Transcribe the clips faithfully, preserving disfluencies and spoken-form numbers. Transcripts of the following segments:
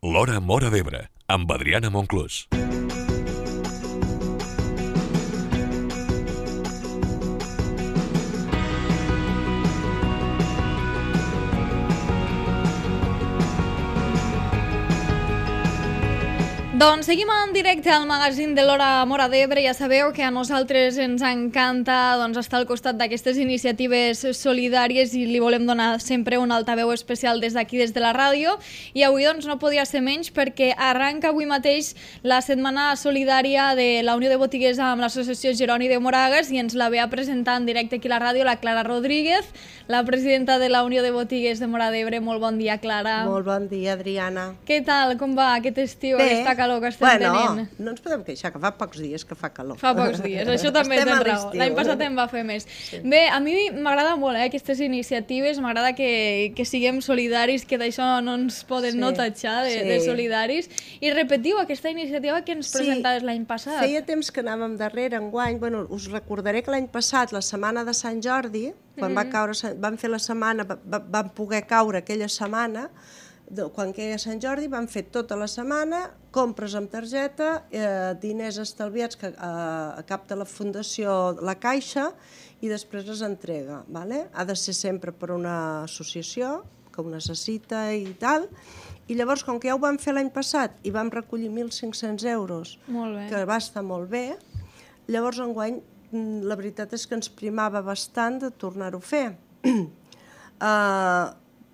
L'Hora Móra d'Ebre, amb Adriana Monclús. Doncs seguim en directe al magazín de l'Hora Móra d'Ebre. Ja sabeu que a nosaltres ens encanta doncs, estar al costat d'aquestes iniciatives solidàries i li volem donar sempre un altaveu especial des d'aquí, des de la ràdio. I avui doncs, no podia ser menys perquè arranca avui mateix la setmana solidària de la Unió de Botiguers amb l'associació Jeroni de Moragas i ens la ve a presentar en directe aquí a la ràdio la Clara Rodríguez, la presidenta de la Unió de Botiguers de Móra d'Ebre. Molt bon dia, Clara. Molt bon dia, Adriana. Què tal? Com va aquest estiu, Bé. aquesta calor que estem bueno, tenint? no ens podem queixar, que fa pocs dies que fa calor. Fa pocs dies, això també Estem tens a raó. l'estiu. L'any passat en va fer més. Sí. Bé, a mi m'agrada molt eh, aquestes iniciatives, m'agrada que, que siguem solidaris, que d'això no ens poden Sí, no tatxar de, sí. de solidaris. I repetiu aquesta iniciativa que ens Sí, presentaves l'any passat. Feia temps que anàvem darrere, enguany. Bueno, us recordaré que l'any passat, la setmana de Sant Jordi, quan mm -hmm. va caure, van fer la setmana, va, van poder caure aquella setmana, quan queia Sant Jordi, van fer tota la setmana, compres amb targeta, eh, diners estalviats que eh, capta la Fundació La Caixa i després es entrega. Vale? Ha de ser sempre per una associació que ho necessita i tal. I llavors, com que ja ho vam fer l'any passat i vam recollir mil cinc-cents euros, Molt bé. que va estar molt bé, llavors enguany la veritat és que ens primava bastant de tornar-ho a fer. uh,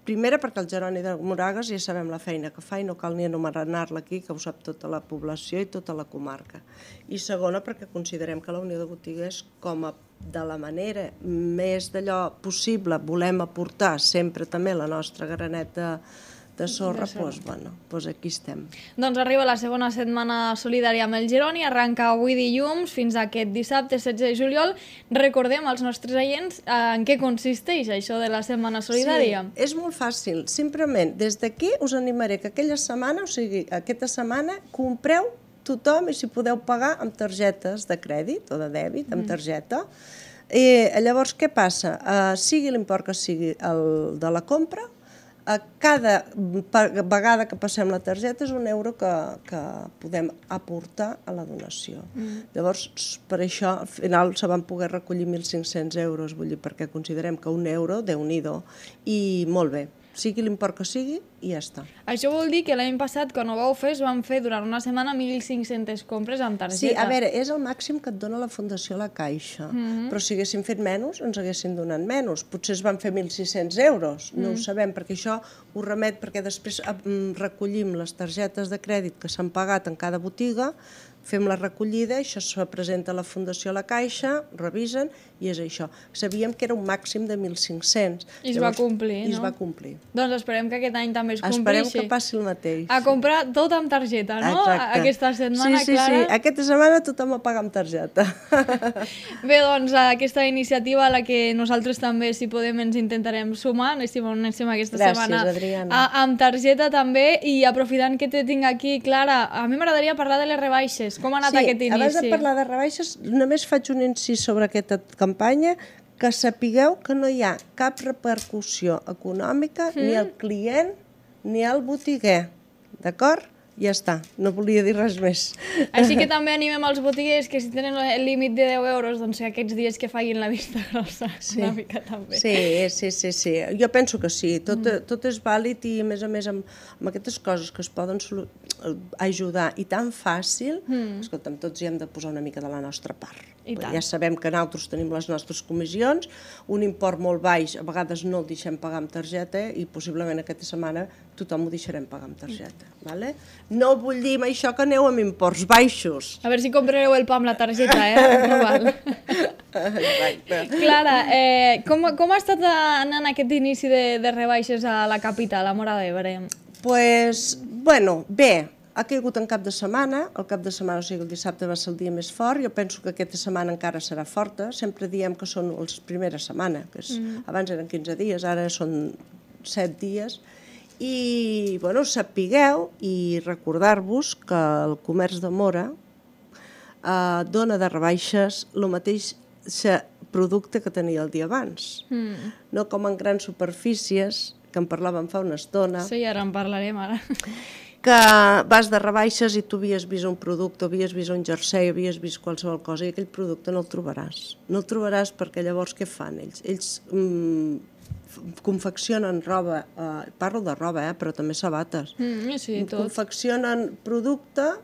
Primera, perquè el Jeroni de Moragas ja sabem la feina que fa i no cal ni anomenar-la aquí, que ho sap tota la població i tota la comarca. I segona, perquè considerem que la Unió de Botiguers, com a de la manera més d'allò possible, volem aportar sempre també la nostra graneta de sorra, doncs, bueno, doncs aquí estem. Doncs arriba la segona setmana solidària amb el Jeroni, arranca avui dilluns fins a aquest dissabte setze de juliol. Recordem als nostres oients en què consisteix això de la setmana solidària. Sí, és molt fàcil. Simplement, des d'aquí us animaré que aquella setmana, o sigui, aquesta setmana, compreu tothom i si podeu pagar amb targetes de crèdit o de dèbit, amb targeta. I llavors, què passa? Uh, sigui l'import que sigui el de la compra, a cada vegada que passem la targeta és un euro que, que podem aportar a la donació. Mm. Llavors, per això, al final se van poder recollir mil cinc-cents euros, vull dir, perquè considerem que un euro, Déu-n'hi-do, i molt bé, sigui l'import que sigui, i ja està. Això vol dir que l'any passat, quan ho vau fer, es van fer durant una setmana mil cinc-centes compres amb targeta. Sí, a veure, és el màxim que et dona la Fundació La Caixa, mm-hmm. però si haguéssim fet menys, ens haguessin donat menys. Potser es van fer mil sis-cents euros, no mm. ho sabem, perquè això ho remet, perquè després recollim les targetes de crèdit que s'han pagat en cada botiga, fem la recollida, això se presenta a la Fundació La Caixa, revisen, i és això. Sabíem que era un màxim de mil cinc-cents. I es va complir, no? I es va complir. Doncs esperem que aquest any també es compleixi. Esperem que passi el mateix. A comprar tot amb targeta, no? Exacte. Aquesta setmana, sí, sí, Clara. Sí, sí, aquesta setmana tothom a pagar amb targeta. Bé, doncs, aquesta iniciativa a la que nosaltres també, si podem, ens intentarem sumar, anéssim on anéssim aquesta Gràcies, setmana. Adriana. A, amb targeta també, i aprofitant que te tinc aquí, Clara, a mi m'agradaria parlar de les rebaixes. Com ha anat sí, aquest inici? Abans de parlar de rebaixes, només faig un incís sobre aquesta campanya, que sapigueu que no hi ha cap repercussió econòmica mm. ni al client ni al botiguer, d'acord? Ja està, no volia dir res més. Així que també animem els botiguers que si tenen el límit de deu euros, doncs aquests dies que facin la vista grossa, sí. una mica també. Sí, sí, sí, sí. Jo penso que sí, tot, mm. tot és vàlid i a més a més amb, amb aquestes coses que es poden ajudar i tan fàcil, mm. escolta'm, tots hi hem de posar una mica de la nostra part. Ja sabem que nosaltres tenim les nostres comissions, un import molt baix, a vegades no el deixem pagar amb targeta i possiblement aquesta setmana tothom ho deixarem pagar amb targeta. Vale? No vull dir amb això que aneu amb imports baixos. A veure si comprareu el pa amb la targeta, eh? No val. Clara, eh, com, com ha estat anant aquest inici de, de rebaixes a la capital, a Móra d'Ebre? Pues, bueno, bé. Ha caigut en cap de setmana, el cap de setmana, o sigui, el dissabte va ser el dia més fort, jo penso que aquesta setmana encara serà forta, sempre diem que són les primeres setmanes, que és, mm. abans eren quinze dies, ara són set dies, i, bueno, sapigueu i recordar-vos que el comerç de Móra eh, dona de rebaixes el mateix producte que tenia el dia abans, mm. no com en grans superfícies, que en parlàvem fa una estona. Sí, ara en parlarem, ara. que vas de rebaixes i tu havies vist un producte, havies vist un jersei, havies vist qualsevol cosa i aquell producte no el trobaràs. No el trobaràs perquè llavors què fan ells? Ells mm, confeccionen roba, eh, parlo de roba, eh, però també sabates. Mm, sí, tot. Confeccionen producte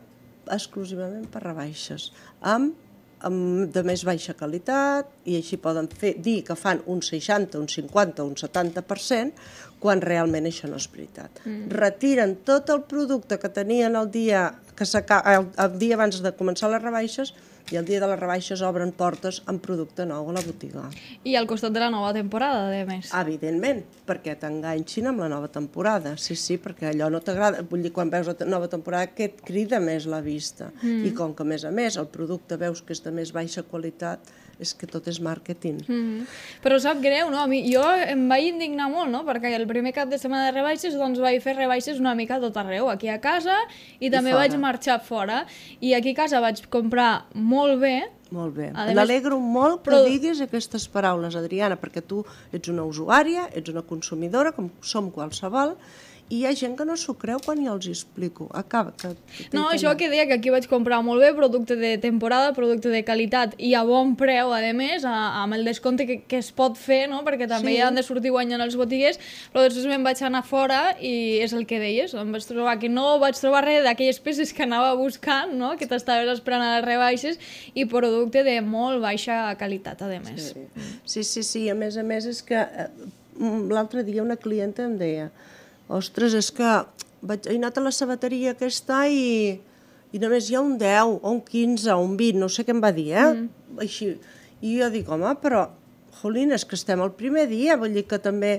exclusivament per rebaixes, amb amb de més baixa qualitat, i així poden fer, dir que fan un seixanta, un cinquanta, un setanta per cent, quan realment això no és veritat. Mm. Retiren tot el producte que tenien el dia, que el, el dia abans de començar les rebaixes, i el dia de les rebaixes obren portes amb producte nou a la botiga. I al costat de la nova temporada, a més. Evidentment, perquè t'enganxin amb la nova temporada. Sí, sí, perquè allò no t'agrada. Vull dir, quan veus la nova temporada, què et crida més la vista? Mm. I com que, a més a més, el producte veus que és de més baixa qualitat, és que tot és màrqueting. Mm. Però sap greu, no? A mi, jo em vaig indignar molt, no? Perquè el primer cap de setmana de rebaixes, doncs vaig fer rebaixes una mica a tot arreu, aquí a casa, i, I també fora. Vaig marxar fora. I aquí a casa vaig comprar molt bé. Molt bé. M'alegro molt que però... diguis aquestes paraules, Adriana, perquè tu ets una usuària, ets una consumidora, com som qualsevol, i hi ha gent que no s'ho creu quan jo els explico. Acaba. Que, que no, això que deia, que aquí vaig comprar molt bé, producte de temporada, producte de qualitat i a bon preu, a més, a, amb el descompte que, que es pot fer, no? Perquè també sí. Hi han de sortir guanyant els botiguers, però després me'n vaig anar fora i és el que deies, em vaig trobar que no vaig trobar res d'aquelles peces que anava buscant, no? Que t'estaves esperant a les rebaixes, i producte de molt baixa qualitat, a més. Sí, sí, sí, sí. A més a més és que eh, l'altre dia una clienta em deia: ostres, és que vaig, he anat a la sabateria aquesta i, i només hi ha un deu, o un quinze, o un vint, no sé què em va dir, eh? Mm. Així. I jo dic, home, però, jolín, és que estem al primer dia, vull dir que també...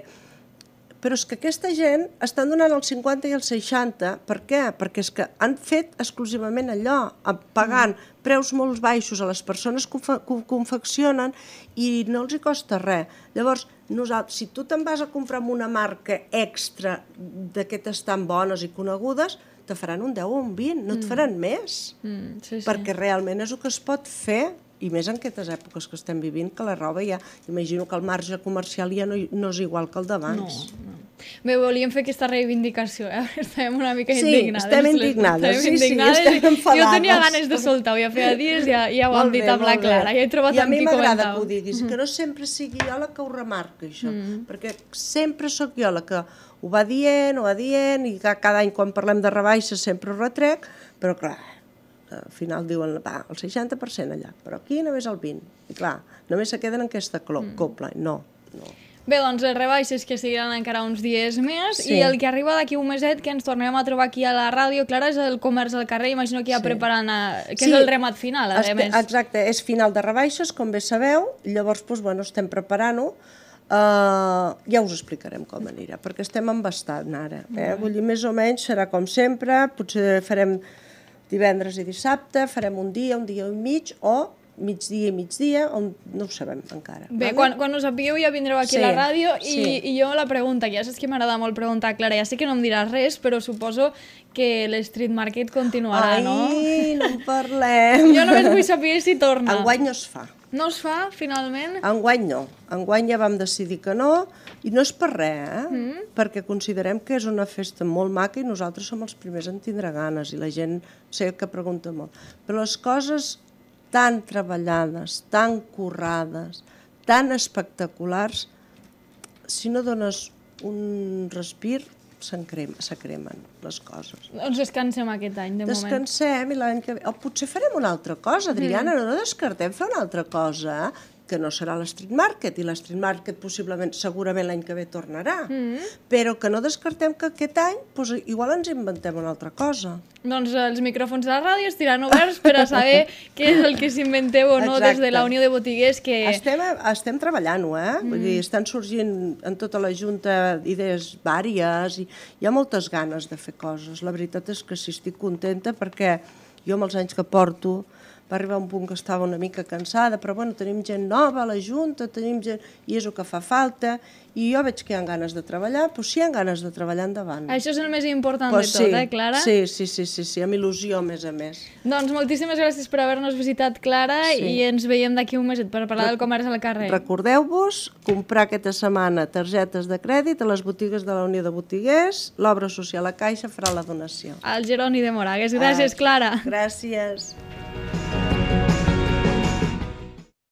Però és que aquesta gent estan donant el cinquanta i el seixanta. Per què? Perquè és que han fet exclusivament allò, pagant mm. preus molt baixos a les persones que ho confeccionen i no els hi costa res. Llavors, nosaltres, si tu te'n vas a comprar amb una marca extra d'aquestes tan bones i conegudes, te faran un deu o un vint, no et faran mm. més. Mm, sí, sí. Perquè realment és el que es pot fer, i més en aquestes èpoques que estem vivint, que la roba ja... Imagino que el marge comercial ja no, no és igual que el d'abans. No, no. Bé, volíem fer aquesta reivindicació, eh? Estem una mica sí, indignades. Estem indignades. Estem sí, indignades. Sí, estem enfadades. Jo tenia ganes de soltar-ho, ja feia dies, ja, ja ho hem dit amb la Clara, ja he trobat I amb qui comentar. I a mi m'agrada que ho diguis, mm. que no sempre sigui jo la que ho remarca, això, mm. perquè sempre sóc jo la que ho va dient, ho va dient, i cada any quan parlem de rebaixes sempre ho retrec, però clar, al final diuen, va, el seixanta per cent allà, però aquí només el vint. I clar, només se queden en aquesta copla. No, no. Bé, doncs les rebaixes que seguiran encara uns dies més, sí. I el que arriba d'aquí un meset, que ens tornem a trobar aquí a la ràdio, Clara, és el comerç al carrer, imagino que ja sí. preparant, a... que sí. és el remat final, a Espe més. Exacte, és final de rebaixes, com bé sabeu, llavors doncs, bueno, estem preparant-ho. Uh, ja us explicarem com anirà, perquè estem embastant ara. Eh? Vull dir, més o menys serà com sempre, potser farem divendres i dissabte, farem un dia, un dia i mig, o migdia i migdia, on no ho sabem encara. Bé, vale? quan, quan ho sapigueu ja vindreu aquí sí, a la ràdio i, sí. i jo la pregunta, ja saps que m'agrada molt preguntar, Clara, ja sé que no em diràs res, però suposo que l'Street Market continuarà, Ai, no? Ai, no en parlem. Jo només vull saber si torna. Enguany no es fa. No es fa, finalment? Enguany no. Enguany ja vam decidir que no, i no és per res, eh? Mm. Perquè considerem que és una festa molt maca i nosaltres som els primers en tindre ganes, i la gent sé que pregunta molt. Però les coses tan treballades, tan currades, tan espectaculars, si no dones un respir, se cremen les coses. Doncs descansem aquest any, de moment. Descansem i l'any que ve... O potser farem una altra cosa, Adriana, mm. no descartem fer una altra cosa, que no serà l'Street Market, i l'Street Market possiblement, segurament l'any que ve tornarà, mm. però que no descartem que aquest any doncs, igual ens inventem una altra cosa. Doncs els micròfons de la ràdio estiran oberts per a saber què és el que s'inventeu o no. Exacte. Des de la Unió de Botiguers que... Estem, estem treballant-ho, eh? Mm. Vull dir, estan sorgint en tota la Junta idees vàries i hi ha moltes ganes de fer coses. La veritat és que sí, estic contenta perquè jo amb els anys que porto va arribar un punt que estava una mica cansada, però bueno, tenim gent nova a la Junta, tenim gent, i és el que fa falta, i jo veig que hi ha ganes de treballar, doncs si hi ha ganes de treballar, endavant. Això és el més important pues de tot, sí, eh, Clara? Sí, sí, sí, sí, sí, amb il·lusió, a més a més. Doncs moltíssimes gràcies per haver-nos visitat, Clara, Sí. i ens veiem d'aquí un meset per parlar del comerç al carrer. Recordeu-vos comprar aquesta setmana targetes de crèdit a les botigues de la Unió de Botiguers, l'obra social a Caixa farà la donació. Al Geroni de Moragues. Gràcies, Clara. Gràcies.